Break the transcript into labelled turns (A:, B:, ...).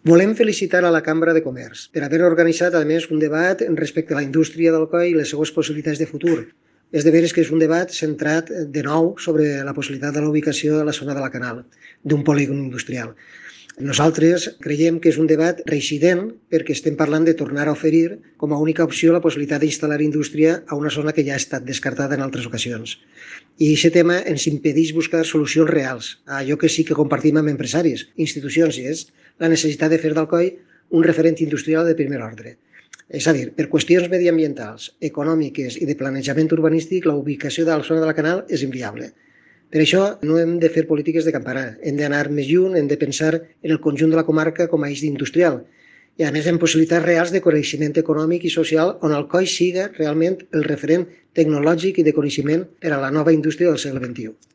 A: Volem felicitar a la Cambra de Comerç per haver organitzat, a més, un debat respecte a la indústria d'Alcoi i les seues possibilitats de futur. És de veres que és un debat centrat de nou sobre la possibilitat de la ubicació a la zona de la Canal, d'un polígon industrial. Nosaltres creiem que és un debat reincident perquè estem parlant de tornar a oferir com a única opció la possibilitat d'instal·lar indústria a una zona que ja ha estat descartada en altres ocasions. I aquest tema ens impedeix buscar solucions reals a allò que sí que compartim amb empresaris, institucions, i és la necessitat de fer d'Alcoi un referent industrial de primer ordre. És a dir, per qüestions mediambientals, econòmiques i de planejament urbanístic, la ubicació de la zona de la Canal és inviable. Per això no hem de fer polítiques de campanar, hem d'anar més lluny, hem de pensar en el conjunt de la comarca com a eix industrial i a més en possibilitats reals de coneixement econòmic i social on Alcoi siga realment el referent tecnològic i de coneixement per a la nova indústria del segle XXI.